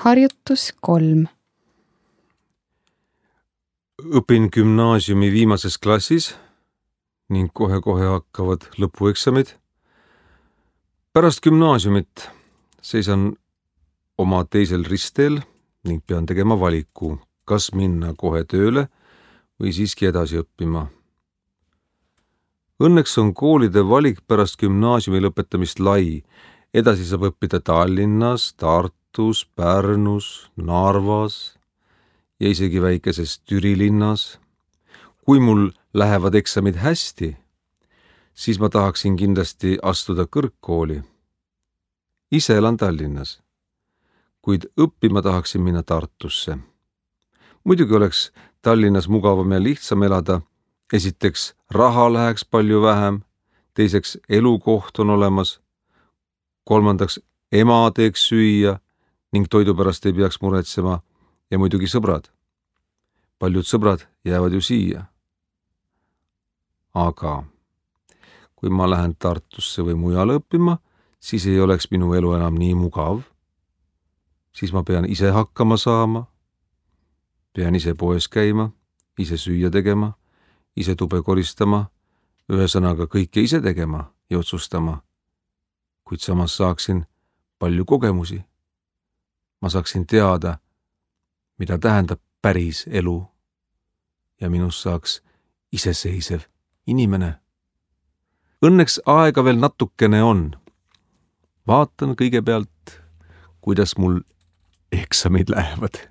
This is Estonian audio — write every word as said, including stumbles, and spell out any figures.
Harjutus kolm. Õpin gümnaasiumi viimases klassis ning kohe-kohe hakkavad lõpueksamid. Pärast gümnaasiumit seisan oma teisel ristteel ning pean tegema valiku, kas minna kohe tööle või siiski edasi õppima. Õnneks on koolide valik pärast gümnaasiumi lõpetamist lai. Edasi saab õppida Tallinnas, Tartus, Pärnus, Narvas ja isegi väikeses Türi linnas. Kui mul lähevad eksamid hästi, siis ma tahaksin kindlasti astuda kõrgkooli. Ise elan Tallinnas, kuid õppima tahaksin minna Tartusse. Muidugi oleks Tallinnas mugavam ja lihtsam elada. Esiteks raha läheks palju vähem, teiseks elukoht on olemas, kolmandaks ema teeks süüa ning toidu pärast ei peaks muretsema ja muidugi sõbrad. Paljud sõbrad jäävad ju siia. Aga kui ma lähen Tartusse või mujale õppima, siis ei oleks minu elu enam nii mugav. Siis ma pean ise hakkama saama, pean ise poes käima, ise süüa tegema, ise tube koristama, ühesõnaga kõike ise tegema ja otsustama, kuid samas saaksin palju kogemusi. Ma saaksin teada, mida tähendab päris elu ja minust saaks iseseisev inimene. Õnneks aega veel natukene on. Vaatan kõigepealt, kuidas mul eksamid lähevad.